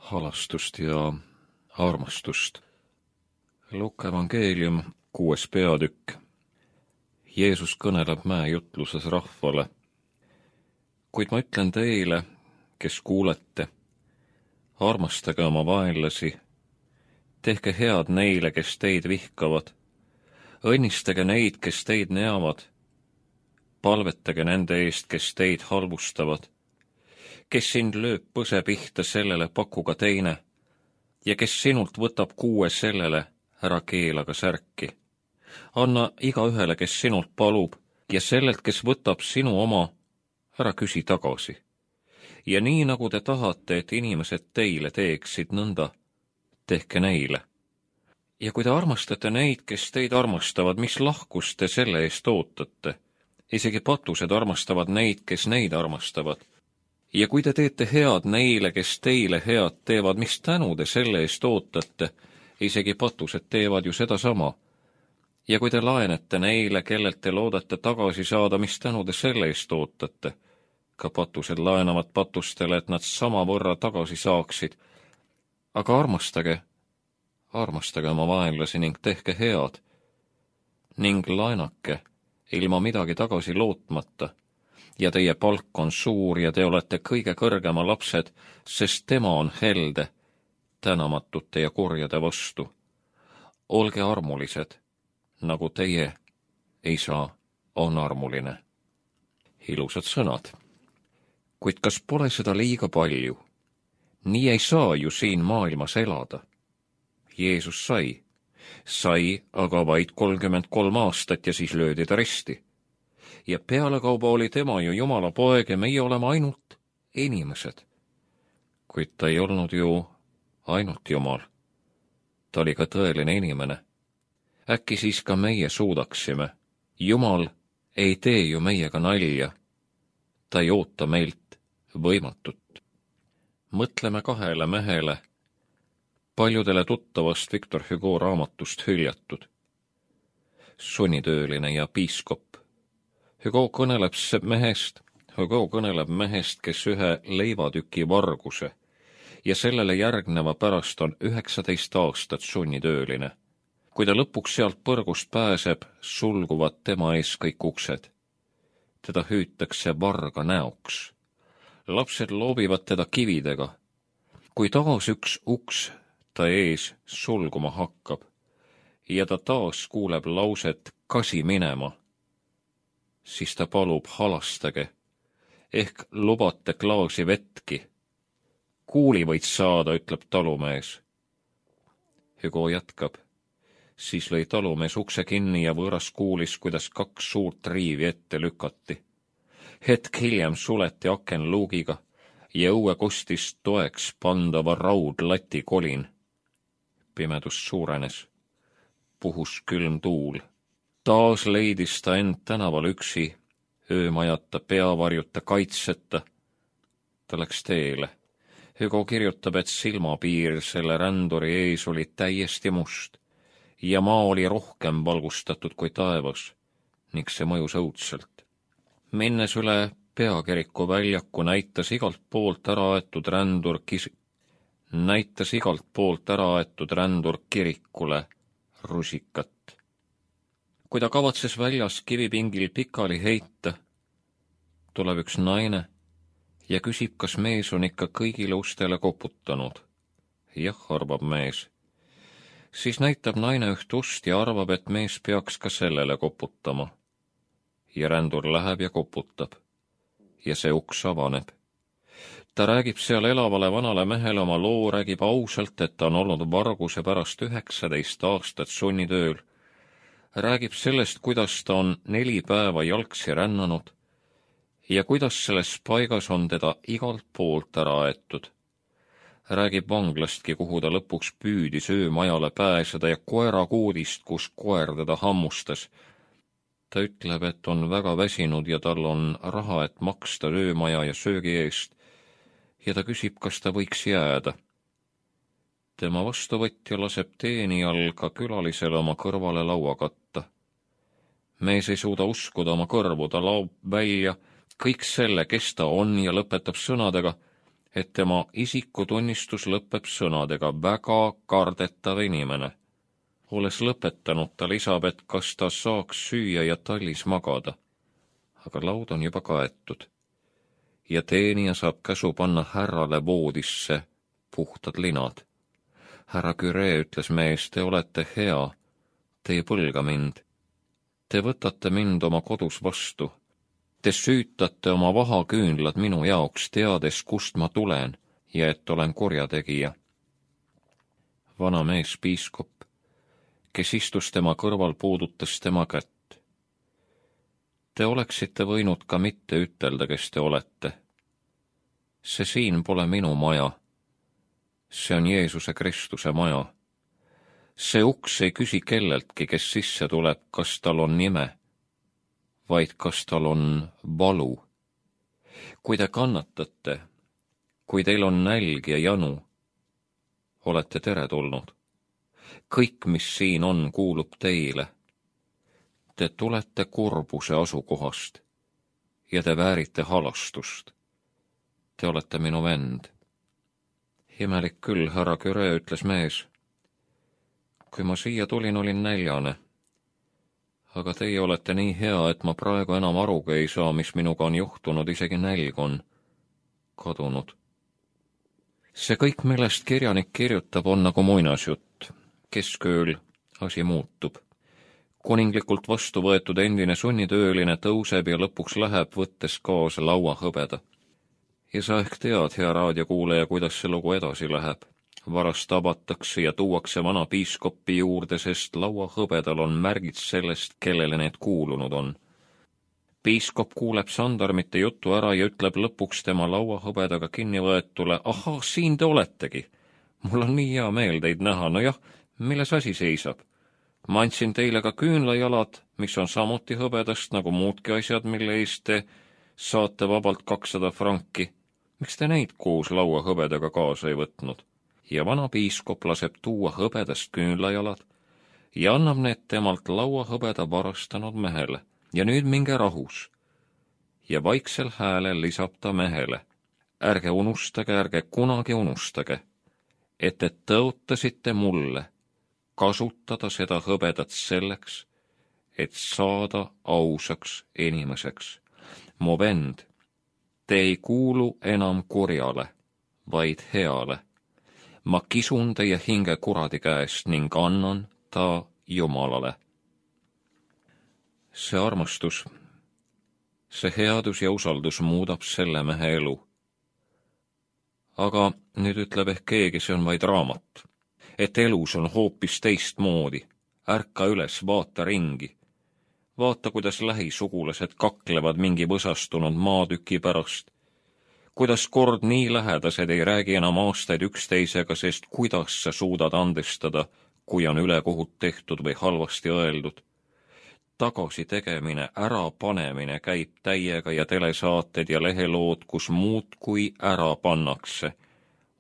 halastust ja armastust. Luuka evangeelium 6. peatükk. Jeesus kõneleb mäejutluses rahvale. Kuid ma ütlen teile, kes kuulete, armastage oma vaenlasi, tehke head neile, kes teid vihkavad, õnnistage neid, kes teid neavad, palvetage nende eest, kes teid halvustavad. Kes sind lööb põse pihta, sellele paku ka teine, ja kes sinult võtab kuue, sellele ära keela ka särki. Anna igaühele, kes sinult palub, ja sellelt, kes võtab sinu oma, ära küsi tagasi. Ja nii, nagu te tahate, et inimesed teile teeksid, nõnda tehke neile. Ja kui te armastate neid, kes teid armastavad, mis lahkust te selle eest ootate? Isegi patused armastavad neid, kes neid armastavad. Ja kui te teete head neile, kes teile head teevad, mis tänu te selle eest ootate? Isegi patused teevad ju sedasama. Ja kui te laenete neile, kellelt te loodate tagasi saada, mis tänu te selle eest ootate? Ka patused laenavad patustele, et nad samavõrra tagasi saaksid. Aga armastage oma vaenlasi ning tehke head. Ning laenake, ilma midagi tagasi lootmata. Ja teie palk on suur ja te olete kõige kõrgema lapsed, sest tema on helde, tänamatute ja kurjade vastu. Olge armulised, nagu teie isa on armuline. Ilusad sõnad. Kuid kas pole seda liiga palju? Nii ei saa ju siin maailmas elada. Jeesus sai aga vaid 33 aastat ja siis löödi ta risti. Ja pealekauba oli tema ju Jumala poeg ja meie oleme ainult inimesed. Kuid ta ei olnud ju ainult Jumal. Ta oli ka tõeline inimene. Äkki siis ka meie suudaksime. Jumal ei tee ju meiega nalja. Ta ei oota meilt võimatut. Mõtleme kahele mehele, paljudele tuttavast Victor Hugo raamatust hüljatud. Sunnitööline ja piiskop. Hugo kõneleb mehest, kes ühe leivatüki varguse ja sellele järgneva pärast on 19 aastat sunnitööline. Kui ta lõpuks sealt põrgust pääseb, sulguvad tema ees kõik uksed. Teda hüütakse varga näoks. Lapsed loobivad teda kividega. Kui taas üks uks ta ees sulguma hakkab ja ta taas kuuleb lauset kasi minema, siis ta palub halastage, ehk lubate klaasi vetki. Kuuli võid saada, ütleb talumees. Hugo jätkab. Siis lõi talumees ukse kinni ja võõras kuulis, kuidas 2 suurt riivi ette lükati. Hetk hiljem suleti aken luugiga ja õue kostis toeks pandava raudlati kolin. Pimedus suurenes. Puhus külm tuul. Taas leidis ta end tänaval üksi, öömajata, peavarjuta, kaitseta. Ta läks teele. Hugo kirjutab, et silmapiir selle ränduri ees oli täiesti must ja maa oli rohkem valgustatud kui taevas ning see mõjus õudselt. Minnes üle peakiriku väljaku näitas igalt poolt ära aetud rändur kirikule rusikat. Kui ta kavatses väljas kivipingil pikali heita, tuleb üks naine ja küsib, kas mees on ikka kõigile ustele koputanud. Jah, arvab mees. Siis näitab naine üht ust ja arvab, et mees peaks ka sellele koputama. Ja rändur läheb ja koputab. Ja see uks avaneb. Ta räägib seal elavale vanale mehele oma loo, räägib ausalt, et ta on olnud varguse pärast 19 aastat sunnitööl. Räägib sellest, kuidas ta on 4 päeva jalgsi rännanud ja kuidas selles paigas on teda igalt poolt ära aetud. Räägib vanglastki, kuhu ta lõpuks püüdis öömajale pääseda ja koerakuudist, kus koer teda hammustas. Ta ütleb, et on väga väsinud ja tal on raha, et maksta öömaja ja söögi eest ja ta küsib, kas ta võiks jääda. Tema vastuvõtja laseb teenijal ka külalisele oma kõrvale laua katta. Mees ei suuda uskuda oma kõrvu, ta laob välja kõik selle, kes ta on ja lõpetab sõnadega, et tema isikutunnistus lõpeb sõnadega väga kardetav inimene. Olles lõpetanud, ta lisab, et kas ta saaks süüa ja tallis magada. Aga laud on juba kaetud ja teenija saab käsu panna härrale voodisse puhtad linad. Härra Curie, ütles mees, te olete hea, te ei põlga mind. Te võtate mind oma kodus vastu. Te süütate oma vahaküünlad minu jaoks, teades, kust ma tulen ja et olen kurjategija. Vana mees piiskop, kes istus tema kõrval, puudutas tema kätt. Te oleksite võinud ka mitte ütelda, kes te olete. See siin pole minu maja. See on Jeesuse Kristuse maja. See uks ei küsi kelleltki, kes sisse tuleb, kas tal on nime, vaid kas tal on valu. Kui te kannatate, kui teil on nälg ja janu, olete teretulnud. Kõik, mis siin on, kuulub teile. Te tulete kurbuse asukohast ja te väärite halastust. Te olete minu vend. Imelik küll, härra Curie, ütles mees. Kui ma siia tulin, olin näljane. Aga teie olete nii hea, et ma praegu enam arugi ei saa, mis minuga on juhtunud, isegi nälg on kadunud. See kõik, millest kirjanik kirjutab, on nagu muinasjutt. Keskööl asi muutub. Kuninglikult vastu võetud endine sunnitööline tõuseb ja lõpuks läheb, võttes kaasa lauahõbeda. Ja sa ehk tead, hea raadiokuuleja, kuidas see lugu edasi läheb. Varast tabatakse ja tuuakse vana piiskopi juurde, sest lauahõbedal on märgid sellest, kellele need kuulunud on. Piiskop kuuleb sandarmite jutu ära ja ütleb lõpuks tema lauahõbedaga kinnivõetule, ahaa, siin te oletegi. Mul on nii hea meel teid näha, no jah, milles asi seisab? Ma andsin teile ka küünlajalad, mis on samuti hõbedast, nagu muudki asjad, mille eest te saate vabalt 200 franki. Miks te neid koos lauahõbedaga kaasa ei võtnud? Ja vana piiskop laseb tuua hõbedast küünlajalad ja annab need temalt lauahõbeda varastanud mehele. Ja nüüd minge rahus. Ja vaiksel häälel lisab ta mehele. Ärge unustage, ärge kunagi unustage, et te tõotasite mulle kasutada seda hõbedat selleks, et saada ausaks inimeseks. Mu vend, te ei kuulu enam kurjale, vaid heale. Ma kisun teie hinge kuradi käest ning annan ta Jumalale. See armastus, see headus ja usaldus muudab selle mehe elu. Aga nüüd ütleb ehk keegi, see on vaid raamat. Et elus on hoopis teistmoodi. Ärka üles, vaata ringi. Vaata, kuidas lähisugulased kaklevad mingi võsastunud maatüki pärast. Kuidas kord nii lähedased ei räägi enam aastaid üksteisega, sest kuidas sa suudad andestada, kui on ülekohut tehtud või halvasti öeldud. Tagasi tegemine, ärapanemine käib täiega ja telesaated ja lehelood, kus muud kui ära pannakse,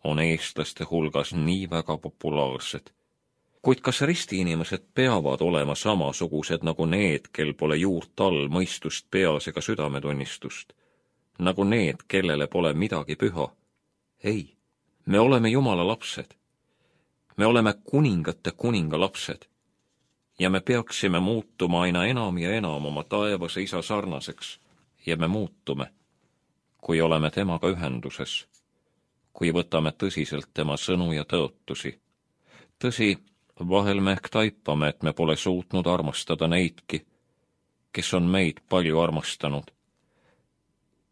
on eestlaste hulgas nii väga populaarsed. Kuid kas ristiinimesed peavad olema samasugused nagu need, kel pole juurt all mõistust peas ega südametunnistust? Nagu need, kellele pole midagi püha? Ei, me oleme Jumala lapsed. Me oleme kuningate kuninga lapsed. Ja me peaksime muutuma aina enam ja enam oma taevase isa sarnaseks. Ja me muutume, kui oleme temaga ühenduses, kui võtame tõsiselt tema sõnu ja tõotusi. Tõsi, vahel me ehk taipame, et me pole suutnud armastada neidki, kes on meid palju armastanud.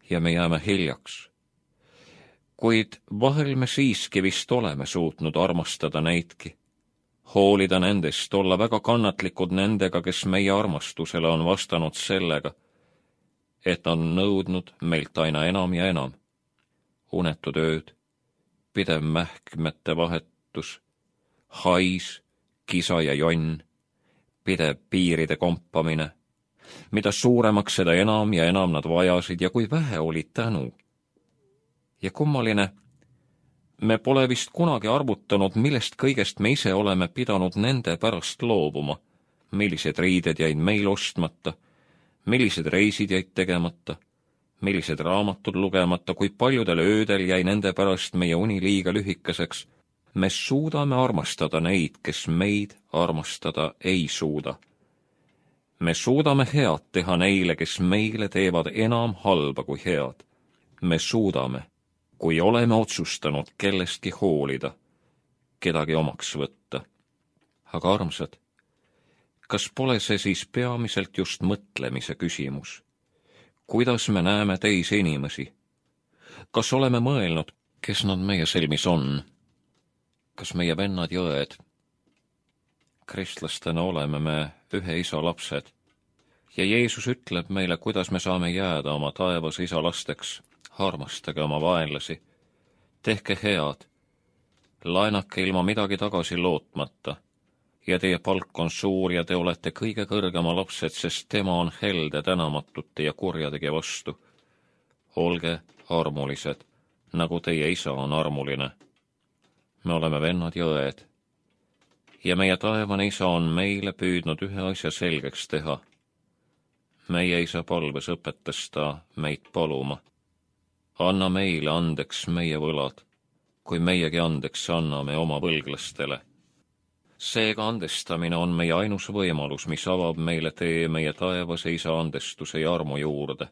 Ja me jääme hiljaks. Kuid vahel me siiski vist oleme suutnud armastada neidki. Hoolida nendest, olla väga kannatlikud nendega, kes meie armastusele on vastanud sellega, et on nõudnud meilt aina enam ja enam. Unetud ööd, pidev mähkmete vahetus, hais, kisa ja jonn, pidev piiride kompamine. Mida suuremaks, seda enam ja enam nad vajasid ja kui vähe oli tänu. Ja kummaline, me pole vist kunagi arvutanud, millest kõigest me ise oleme pidanud nende pärast loobuma. Millised riided jäid meil ostmata, millised reisid jäid tegemata, millised raamatud lugemata, kui paljudel öödel jäi nende pärast meie uni liiga lühikeseks, me suudame armastada neid, kes meid armastada ei suuda. Me suudame head teha neile, kes meile teevad enam halba kui head. Me suudame, kui oleme otsustanud kellestki hoolida, kedagi omaks võtta. Aga armsad, kas pole see siis peamiselt just mõtlemise küsimus? Kuidas me näeme teisi inimesi? Kas oleme mõelnud, kes nad meie silmis on? Kas meie vennad ja õed? Kristlastena oleme me ühe isa lapsed ja Jeesus ütleb meile, kuidas me saame jääda oma taevas isa lasteks. Armastage oma vaenlasi, tehke head, laenake ilma midagi tagasi lootmata ja teie palk on suur ja te olete kõige kõrgema lapsed, sest tema on helde tänamatute ja kurjadegi vastu. Olge armulised, nagu teie isa on armuline. Me oleme vennad ja õed ja meie taevane isa on meile püüdnud ühe asja selgeks teha. Meie isa palves õpetas ta meid paluma. Anna meile andeks meie võlad, kui meiegi andeks anname oma võlglastele. Seega andestamine on meie ainus võimalus, mis avab meile tee meie taevase isa andestuse ja armu juurde.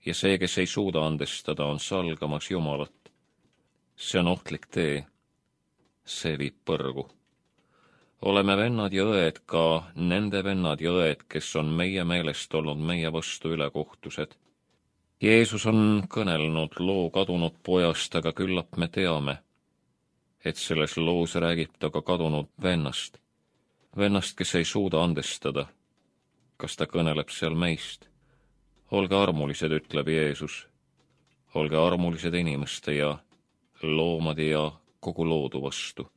Ja see, kes ei suuda andestada, on salgamas Jumalat. See on ohtlik tee. See viib põrgu. Oleme vennad ja õed, ka nende vennad ja õed, kes on meie meelest olnud meie vastu ülekohtused. Jeesus on kõnelnud loo kadunud pojast, aga küllap me teame, et selles loos räägib ta ka kadunud vennast. Vennast, kes ei suuda andestada. Kas ta kõneleb seal meist? Olge armulised, ütleb Jeesus. Olge armulised inimeste ja loomade ja kogu loodu vastu.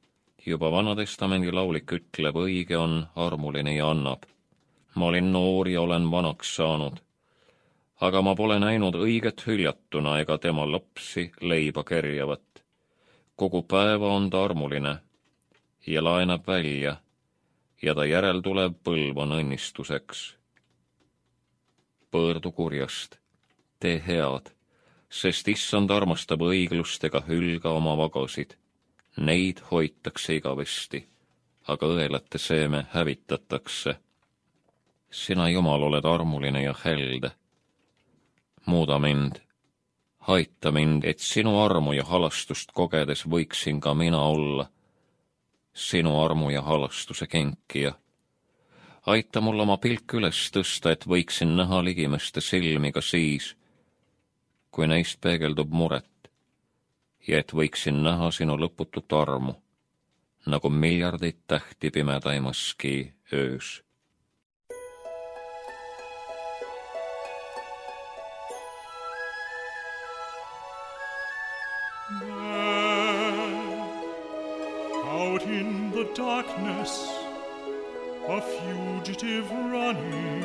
Juba Vanatestamendi laulik ütleb, õige on armuline ja annab. Ma olin noor ja olen vanaks saanud. Aga ma pole näinud õiget hüljatuna ega tema lapsi leiba kerjavat. Kogu päeva on ta armuline ja laenab välja ja ta järel tuleb põlv on õnnistuseks. Pöördu kurjast, tee head, sest issand armastab õiglust ega hülga oma vagasid. Neid hoitakse igavesti, aga õelate seeme hävitatakse. Sina, Jumal, oled armuline ja helde. Muuda mind, aita mind, et sinu armu ja halastust kogedes võiksin ka mina olla sinu armu ja halastuse kenkija. Aita mul oma pilk üles tõsta, et võiksin näha ligimeste silmi ka siis, kui neist peegeldub muret, ja et võiksin näha sinu lõputut armu, nagu miljardeid tähti pimedaimaski öös. Out in the darkness, a fugitive running,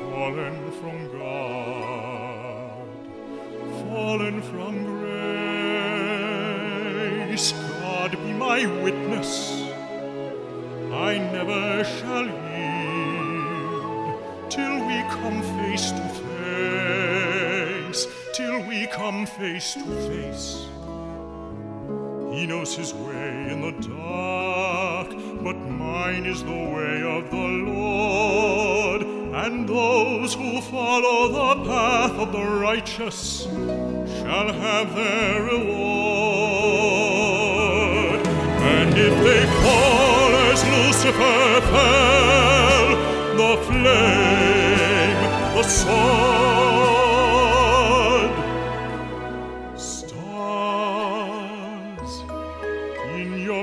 fallen from God, fallen from grace. God be my witness, I never shall yield till we come face to face, till we come face to face. He knows his way in the dark, but mine is the way of the Lord, and those who follow the path of the righteous shall have their reward. And if they fall as Lucifer fell, the flame, the sword,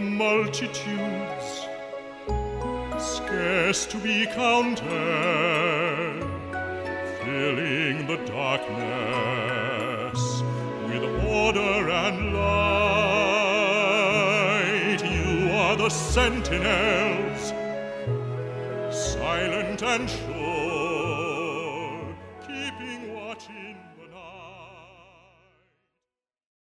multitudes, scarce to be counted, filling the darkness with order and light. You are the sentinels, silent and sure.